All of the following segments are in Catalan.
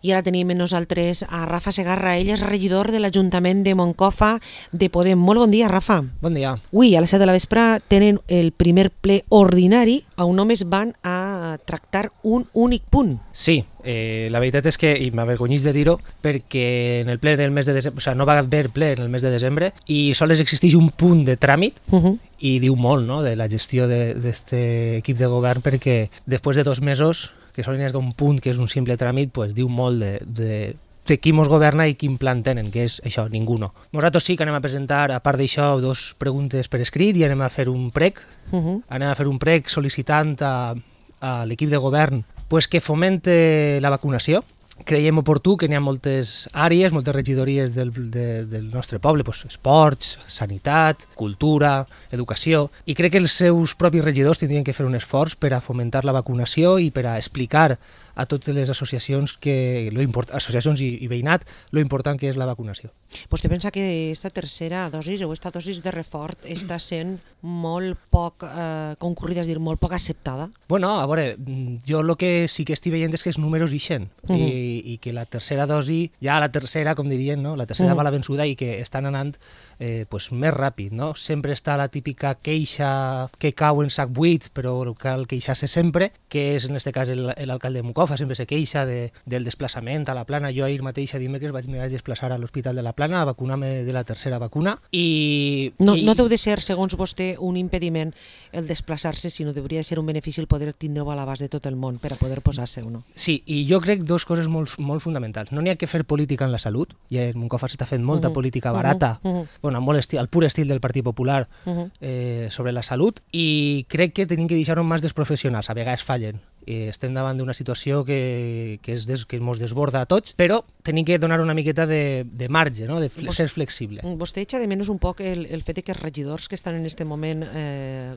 I ara tenim amb nosaltres a Rafa Segarra, ell és regidor de l'Ajuntament de Moncofa de Podem. Molt bon dia, Rafa. Bon dia. Avui, a les 7 de la vespre, tenen el primer ple ordinari on només van a tractar un únic punt. Sí, la veritat és que, i m'avergonyís de dir-ho, perquè en el ple del mes de desembre, o sigui, no va haver ple en el mes de desembre i sols existeix un punt de tràmit i diu molt, no?, de la gestió d'aquest equip de govern, perquè després de 2 mesos, que solen haver un punt que és un simple tràmit, pues, diu molt de qui mos governa i quin plan tenen, que és això, ningú no. Nosaltres sí que anem a presentar, a part d'això, 2 preguntes per escrit i anem a fer un prec. Anem a fer un prec sol·licitant a l'equip de govern pues, que fomente la vacunació. Creiem oportú que n'hi ha moltes àrees, moltes regidories del nostre poble, pues, esports, sanitat, cultura, educació, i crec que els seus propis regidors tindrien que fer un esforç per a fomentar la vacunació i per a explicar a totes les associacions, associacions i veïnat, lo important que és la vacunació. Vostè pensa que aquesta tercera dosis o aquesta dosis de reforç està sent molt poc concurrida, és a dir, molt poc acceptada? Bueno, a veure, jo el que sí que estic veient és que els números ixen i que la tercera dosi, ja la tercera, com dirien, no? La tercera va la vençuda i que estan anant pues, més ràpid, no? Sempre està la típica queixa que cau en sac buit, però cal queixar-se sempre, que és en aquest cas l'alcalde de Moncofa, sempre se queixa del desplaçament a la Plana. Jo ahir mateix a dimecres me vaig desplaçar a l'Hospital de la Plana a vacunar-me de la tercera vacuna i... No deu de ser, segons vostè, un impediment el desplaçar-se, sinó hauria de ser un benefici el poder tindre-ho a l'abast de tot el món per a poder posar-se o no. Sí, i jo crec 2 coses molt fonamentals. No n'hi ha que fer política en la salut, i a Moncofa s'està fent molta política barata, bueno, molt al pur estil del Partit Popular sobre la salut, i crec que tenim que deixar-ho més dels professionals, a vegades fallen. Estem davant d'una situació que ens desborda a tots, però tenim que donar una miqueta de marge, no? De ser flexible. Vostè echa de menys un poc el fet que els regidors que estan en aquest moment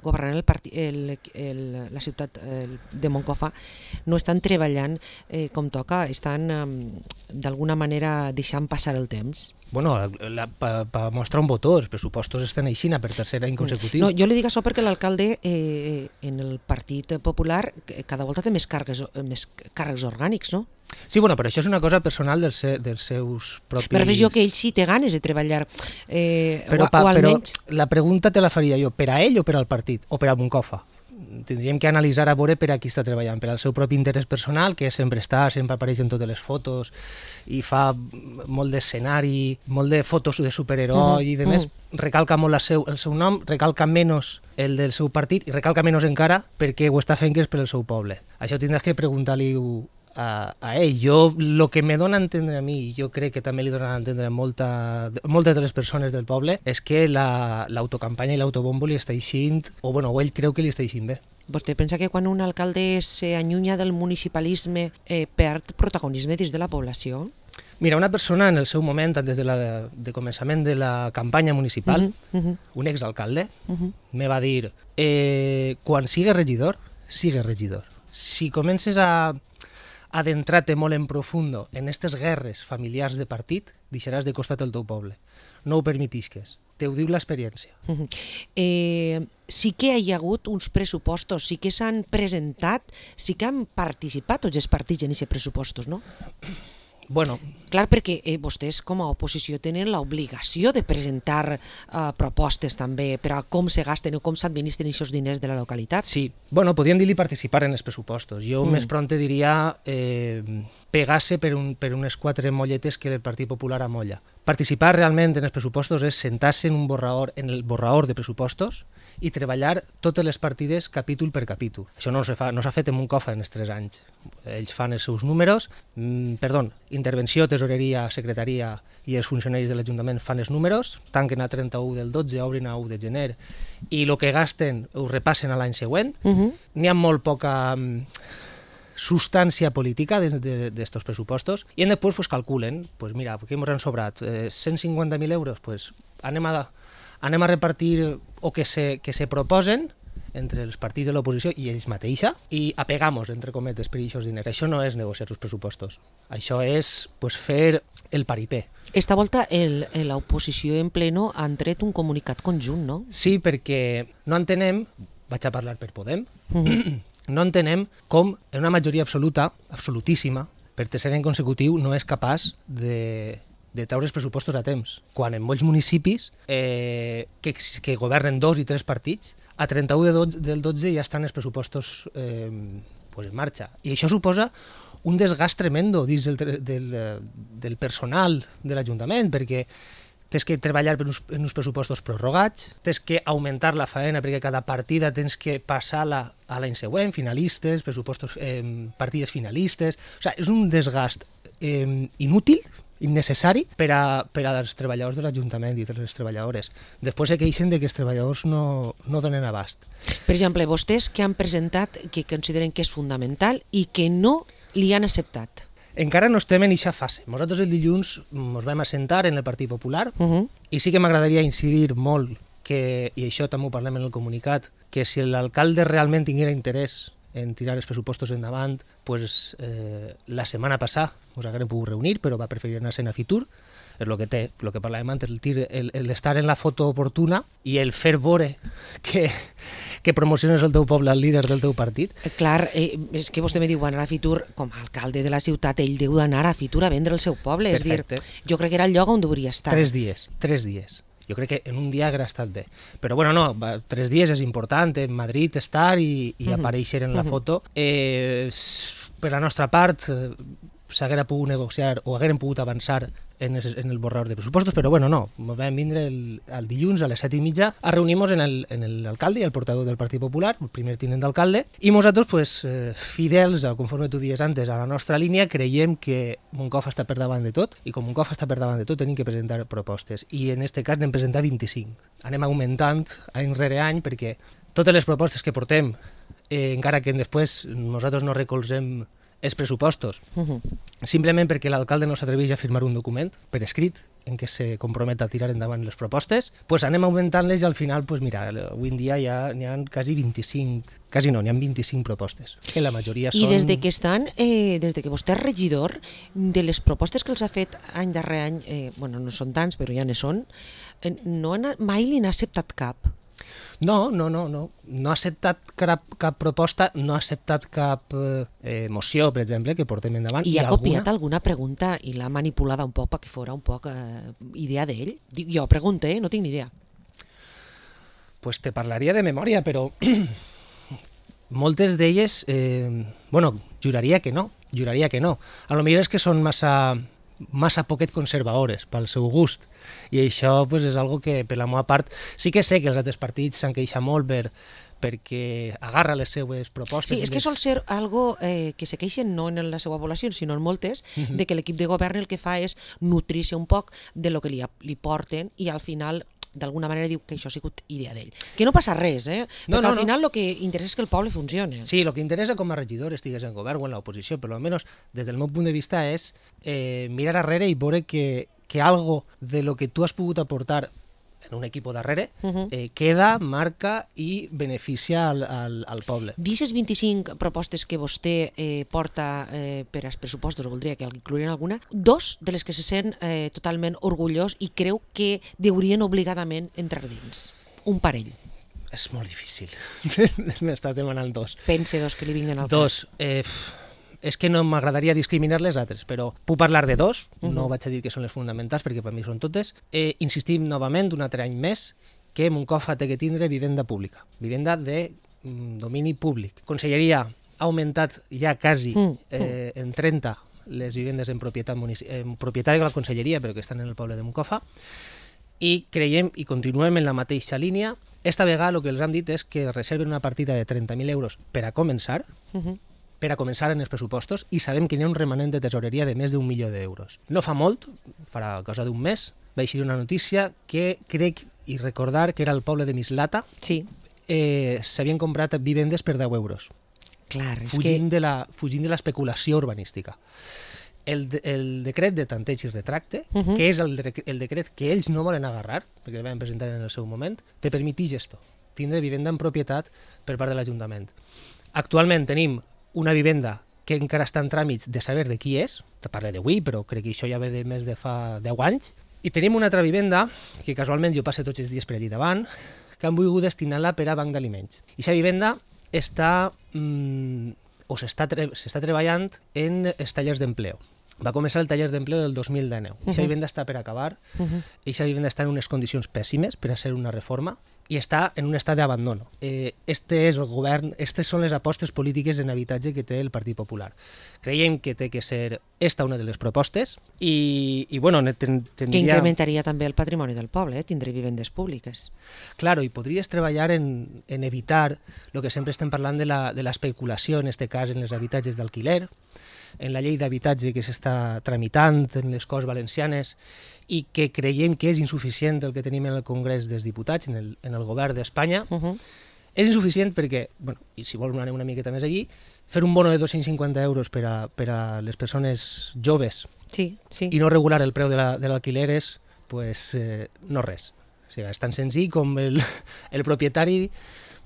governant la ciutat de Moncofa no estan treballant com toca, estan d'alguna manera deixant passar el temps? Bueno, per mostrar un botó, els pressupostos estan aixina per tercer any consecutiu. No, jo li dic això perquè l'alcalde en el Partit Popular cada volta té més càrrecs orgànics, no? Sí, bueno, però això és una cosa personal dels seus propis... Però jo que ell sí té ganes de treballar, però la pregunta te la faria jo, per a ell o per al partit? O per a Moncofa? Tindríem que analitzar a veure per a qui està treballant, per al seu propi interès personal, que sempre apareix en totes les fotos i fa molt d'escenari, molt de fotos de superheroi i demés, recalca molt el seu nom, recalca menys el del seu partit i recalca menys encara perquè ho està fent que és per al seu poble. Això tindràs que preguntar-li a ell. Jo, el que me dona a entendre a mi, i jo crec que també li dona a entendre a moltes de les persones del poble, és que l'autocampanya i l'autobombo li està eixint, o ell creu que li està eixint bé. Vostè pensa que quan un alcalde s'allunya del municipalisme perd protagonisme dins de la població? Mira, una persona en el seu moment, des de començament de la campanya municipal, un exalcalde, me va dir quan sigues regidor, si comences a adentrar-te molt en profundo en aquestes guerres familiars de partit, deixaràs de costat el teu poble. No ho permetisques. Te ho diu l'experiència. Sí que hi ha hagut uns pressupostos, sí que s'han presentat, sí que han participat tots els partits en aquests pressupostos, no? Bueno, clar, perquè vostès com a oposició tenen l'obligació de presentar propostes també per a com se gasten o com s'administren aquests diners de la localitat. Sí, bueno, podríem dir-li participar en els pressupostos. Jo més pront diria pegar-se per unes 4 molletes que el Partit Popular amolla. Participar realment en els pressupostos és sentar-se en el borrador de pressupostos i treballar totes les partides capítol per capítol. Això no s'ha fet en Moncofa en els 3 anys. Ells fan els seus números, intervenció, tesoreria, secretaria i els funcionaris de l'Ajuntament fan els números, tanquen a 31 del 12, obrin a 1 de gener i el que gasten ho repassen a l'any següent. N'hi ha molt poca substància política d'estos pressupostos i després pues, calculen, pues mira, què ens han sobrat? 150.000 euros? Pues anem a repartir o que se proposen entre els partits de l'oposició i ells mateixa i apegamos, entre cometes, per aquests diners. Això no és negociar els pressupostos. Això és pues, fer el paripé. Esta volta l'oposició en pleno han tret un comunicat conjunt, no? Sí, perquè no entenem, vaig a parlar per Podem, no entenem com en una majoria absoluta, absolutíssima, per tercer any consecutiu no és capaç de treure els pressupostos a temps, quan en molts municipis que governen 2 i 3 partits, a 31 del 12 ja estan els pressupostos en marxa. I això suposa un desgast tremendo dins del personal de l'Ajuntament, perquè tens que treballar en uns pressupostos prorrogats, tens que augmentar la faena perquè cada partida tens que passar-la a l'any següent, finalistes, pressupostos, partides finalistes... O sigui, és un desgast inútil, innecessari per als treballadors de l'Ajuntament i de les treballadores. Després se queixen que els treballadors no donen abast. Per exemple, vostès que han presentat que consideren que és fundamental i que no li han acceptat. Encara no estem en aquesta fase. Nosaltres el dilluns ens vam assentar en el Partit Popular i sí que m'agradaria incidir molt que, i això també ho parlem en el comunicat, que si l'alcalde realment tinguera interès en tirar els pressupostos endavant, pues, la setmana passada ens haguem pogut reunir, però va preferir anar-se'n a Fitur. És el que té, el que parlàvem antes, l'estar en la foto oportuna i el fer veure que promociones el teu poble, el líder del teu partit. Clar, és que vostè me diu anar a Fitur, com a alcalde de la ciutat, ell deu d'anar a Fitur a vendre el seu poble. Perfecte. És dir, jo crec que era el lloc on hauria estat. 3 dies. Jo crec que en un dia hauria estat bé. Però bueno, no, 3 dies és important, en Madrid estar i aparèixer en la foto. Per la nostra part, s'haguera pogut negociar o haguérem pogut avançar en el borrador de pressupostos, però bueno, no, vam vindre el dilluns a les 7:30 a reunir-nos en l'alcalde i el portaveu del Partit Popular, el primer tinent d'alcalde, i nosaltres, pues, fidels, conforme tu dies antes, a la nostra línia, creiem que Moncofa està per davant de tot, i com Moncofa està per davant de tot, tenim que presentar propostes, i en aquest cas n'hem presentat 25. Anem augmentant any rere any, perquè totes les propostes que portem, encara que després nosaltres no recolzem els pressupostos, simplement perquè l'alcalde no s'atreveix a firmar un document per escrit en què se compromet a tirar endavant les propostes, pues anem augmentant-les i al final, pues mira, avui en dia ja n'hi ha quasi 25, quasi no, n'hi ha 25 propostes, que la majoria són... I des de que estan, des de que vostè és regidor, de les propostes que els ha fet any darrere any, bueno, no són tants, però ja ne són, mai li n'ha acceptat cap. No ha acceptat cap proposta, no ha acceptat cap moció, per exemple, que portem endavant. I ha copiat alguna pregunta i l'ha manipulada un poc perquè fora un poc idea d'ell? Jo pregunto, no tinc ni idea. Pues te parlaria de memòria, però moltes d'elles, bueno, juraria que no. A lo millor és que són massa poquet conservadores pel seu gust, i això pues, és algo que per la meva part sí que sé que els altres partits s'han queixat molt perquè agarra les seues propostes. Sí, és que sol ser algo que se queixen no en la seva població, sinó en moltes, de que l'equip de govern el que fa és nutrir-se un poc de lo que li porten i al final d'alguna manera diu que això ha sigut idea d'ell. Que no passa res, perquè al final el que interessa és que el poble funcioni. Sí, el que interessa com a regidor estigues en govern o en l'oposició, però almenys des del meu punt de vista és mirar arrere i veure que algo de lo que tu has pogut aportar en un equip darrere, queda, marca i beneficia al poble. D'aquestes 25 propostes que vostè porta per als pressupostos, o voldria que inclourien alguna, 2 de les que se sent totalment orgullós i creu que deurien obligadament entrar dins. Un parell. És molt difícil. M'estàs demanant 2. Pense 2 que li vinguen al cap. 2. És que no m'agradaria discriminar les altres, però puc parlar de 2, no vaig a dir que són les fonamentals perquè per mi són totes. Insistim novament un altre any més que Moncofa té que tindre vivenda pública, vivenda de domini públic. Conselleria ha augmentat ja quasi en 30 les vivendes en propietat de la conselleria, però que estan en el poble de Moncofa, i creiem i continuem en la mateixa línia. Esta vegada el que els hem dit és que reserven una partida de 30.000 euros per a començar, en els pressupostos, i sabem que hi ha un remanent de tesoreria de més d'1 milió d'euros. No fa molt, farà cosa d'un mes, va eixir una notícia que crec i recordar que era el poble de Mislata. Sí. S'havien comprat vivendes per 10 euros. Clar, és fugint de l'especulació urbanística. El decret de tanteig i retracte, que és el decret que ells no volen agarrar, perquè el van presentar en el seu moment, te permetix esto, tindre vivenda en propietat per part de l'Ajuntament. Actualment tenim una vivenda que encara està en tràmits de saber de qui és, te parlo d'avui, però crec que això ja ve de més de fa 10 anys, i tenim una altra vivenda, que casualment jo passo tots els dies per allí davant, que han volgut destinar-la per a banc d'aliments. I aquesta vivenda està o s'està treballant en els tallers d'empleo. Va començar el taller d'empleo del 2019. Aquesta vivenda està per acabar, aquesta vivenda està en unes condicions pèssimes per a ser una reforma i està en un estat d'abandono. Este és el govern, aquestes són les apostes polítiques en habitatge que té el Partit Popular. Creiem que té que ser esta una de les propostes i bueno, tindria... Que incrementaria també el patrimoni del poble, tindré vivendes públiques. Claro, i podries treballar en evitar el que sempre estem parlant de l'especulació, en aquest cas en els habitatges d'alquiler, en la llei d'habitatge que s'està tramitant en les Corts Valencianes i que creiem que és insuficient el que tenim en el Congrés dels Diputats, en el govern d'Espanya. És insuficient perquè, bueno, i si vols anar una miqueta més allí, fer un bono de 250 euros per a les persones joves i no regular el preu de l'alquiler és, pues, no res. O sigui, és tan senzill com el propietari,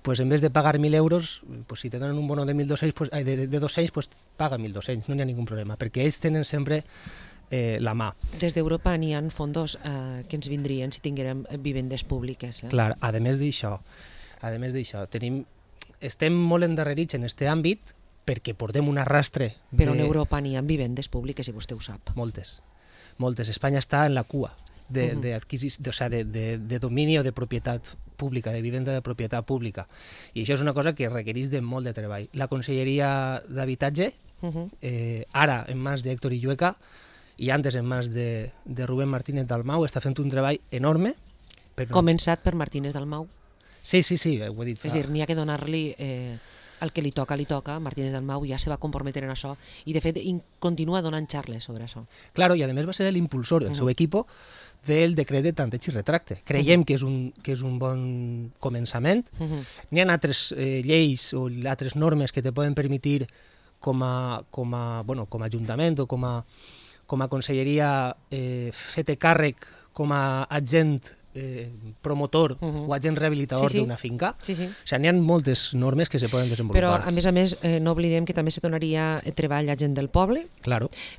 pues en vez de pagar 1.000 euros, pues si te donen un bono de 1.200, pues, de 200, pues paga 1.200, no hi ha ningú problema, perquè ells tenen sempre la mà. Des d'Europa n'hi ha fondos que ens vindrien si tinguérem vivendes públiques. Clar, a més d'això, estem molt endarrerits en aquest àmbit perquè portem un arrastre. Però en Europa n'hi ha vivendes públiques, i vostè ho sap. Moltes. Espanya està en la cua de domini o de propietat pública, de vivenda de propietat pública. I això és una cosa que requereix de molt de treball. La Conselleria d'Habitatge, ara en mans d'Héctor Illueca i antes en mans de Rubén Martínez Dalmau, està fent un treball enorme. Començat per Martínez Dalmau? Sí, ho he dit. És a dir, n'hi ha que donar-li el que li toca. Martínez Dalmau ja se va comprometer en això i de fet continua donant xarles sobre això. Claro, i a més va ser l'impulsor del seu equip del decret de tanteig i retracte. Creiem que és un bon començament. N'hi ha altres lleis o altres normes que te poden permetre com a ajuntament o com a conselleria fer-te càrrec com a agent promotor o agent rehabilitador d'una finca. O sigui, n'hi ha moltes normes que se poden desenvolupar. Però, a més, no oblidem que també se donaria treball a gent del poble,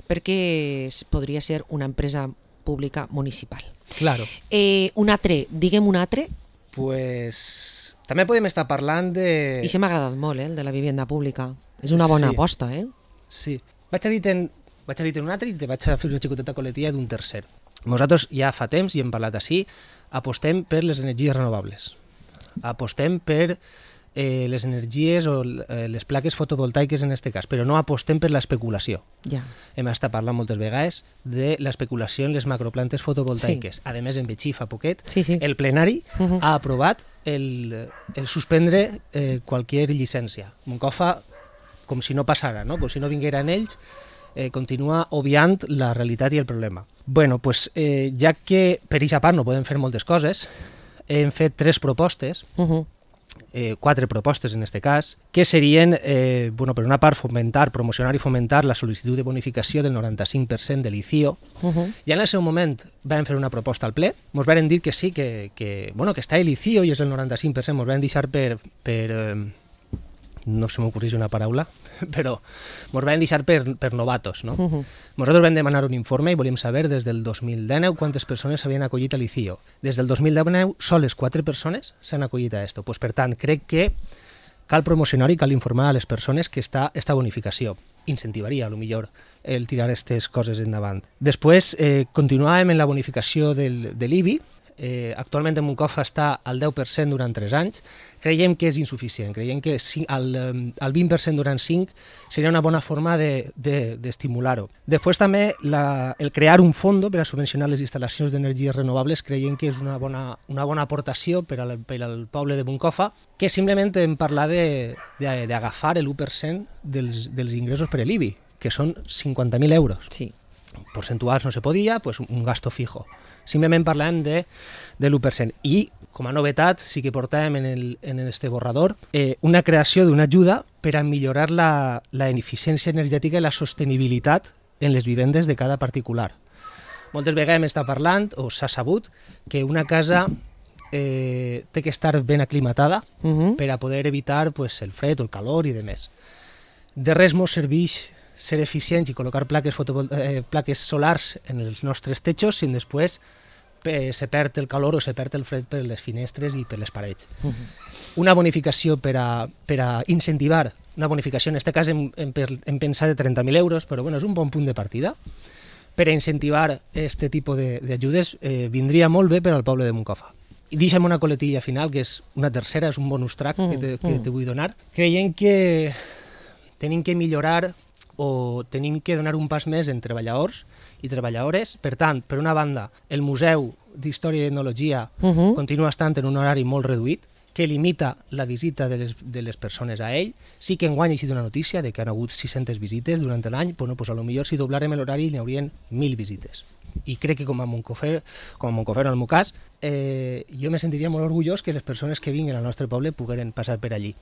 perquè podria ser una empresa pública municipal. Claro. Diguem un altre. Pues també podem estar parlant de... I se m'ha agradat molt, el de la vivenda pública. És una bona aposta, Sí. Vaig a dir un altre i te vaig a fer una xicoteta coletilla d'un tercer. Nosaltres ja fa temps, i hem parlat així, apostem per les energies renovables. Apostem per les energies o les plaques fotovoltaiques en aquest cas, però no apostem per l'especulació. Hem estat parlant moltes vegades de l'especulació en les macroplantes fotovoltaiques. A més, en Betxí fa poquet, el plenari ha aprovat el suspendre qualsevol llicència. Moncofa, com si no passara, com si no vingueren ells, continua obviant la realitat i el problema. Bueno, pues, ja que per aquesta part no podem fer moltes coses, hem fet 3 propostes, 4 propostes en aquest cas, que serien, per una part, promocionar i fomentar la sol·licitud de bonificació del 95% de l'ICIO. Ja en el seu moment vam fer una proposta al ple, ens van dir que sí, que està l'ICIO i és el 95%, ens van deixar per no se m'ocorreix una paraula, però ens van deixar per novatos. Nosaltres vam demanar un informe i volíem saber des del 2019 quantes persones s'havien acollit a l'ICIO. Des del 2019, soles 4 persones s'han acollit a esto. Per tant, crec que cal promocionar i cal informar a les persones que està esta bonificació. Incentivaria, potser, el tirar aquestes coses endavant. Després, continuàvem en la bonificació de l'IBI. Actualment en Moncofa està al 10% durant 3 anys. Creiem que és insuficient, creiem que el 20% durant 5 seria una bona forma d'estimular-ho. Després també el crear un fons per a subvencionar les instal·lacions d'energies renovables creiem que és una bona aportació per al poble de Moncofa, que simplement en parlar d'agafar l'1% dels ingressos per l'IBI, que són 50.000 euros. Sí. Porcentuals no se podia, pues un gasto fijo. Simplement parlem de l'1%. I, com a novetat, sí que portàvem en este borrador una creació d'una ajuda per a millorar la eficiència energètica i la sostenibilitat en les vivendes de cada particular. Moltes vegades hem estat parlant, o s'ha sabut, que una casa té que estar ben aclimatada per a poder evitar el fred o el calor i demés. De res mos serveix ser eficients i col·locar plaques solars en els nostres techos si després se perd el calor o se perd el fred per les finestres i per les parets. Una bonificació per a incentivar una bonificació, en aquest cas hem pensat de 30.000 euros, però bueno, és un bon punt de partida. Per a incentivar aquest tipus d'ajudes vindria molt bé per al poble de Moncofa. I deixa'm una coletilla final, que és una tercera, és un bonus track que te vull donar. Creiem que tenim que millorar o tenim que donar un pas més en treballadors i treballadores. Per tant, per una banda, el Museu d'Història i Etnologia continua estant en un horari molt reduït, que limita la visita de les persones a ell. Sí que enguany ha sigut una notícia de que han hagut 600 visites durant l'any, però pues, potser si doblàrem l'horari n'hi haurien 1.000 visites. I crec que com a Moncofer en el meu cas, jo me sentiria molt orgullós que les persones que vinguin al nostre poble pogueren passar per allí.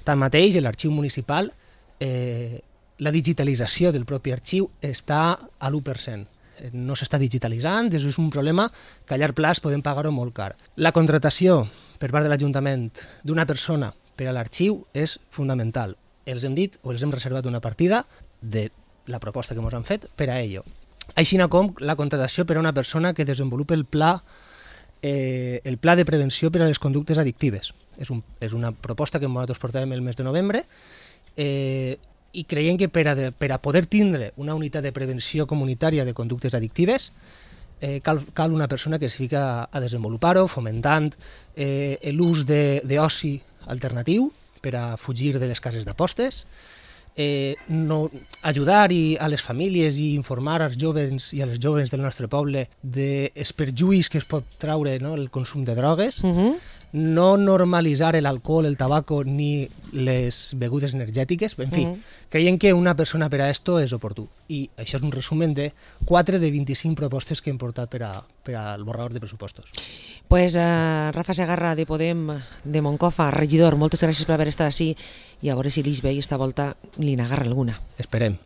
Tanmateix, l'arxiu municipal, la digitalització del propi arxiu està a l'1%. No s'està digitalitzant, és un problema que a llarg plaç podem pagar-ho molt car. La contratació per part de l'Ajuntament d'una persona per a l'arxiu és fundamental. Els hem dit o els hem reservat una partida de la proposta que ens han fet per a ello. Així com la contratació per a una persona que desenvolupa el pla de prevenció per a les conductes addictives. És una proposta que nosaltres portàvem el mes de novembre i creiem que per a poder tindre una unitat de prevenció comunitària de conductes addictives cal una persona que es fica a desenvolupar-ho, fomentant l'ús d'oci alternatiu per a fugir de les cases d'apostes, ajudar a les famílies i informar als joves i a les joves del nostre poble dels perjuís que es pot traure el consum de drogues, no normalitzar l'alcohol, el tabaco ni les begudes energètiques. En fi, creiem que una persona per a esto és oportú. I això és un resumen de 4 de 25 propostes que hem portat per al borrador de pressupostos. Pues Rafa Segarra, de Podem, de Moncofa, regidor, moltes gràcies per haver estat així i a veure si l'Ix ve i esta volta li n'agarra alguna. Esperem.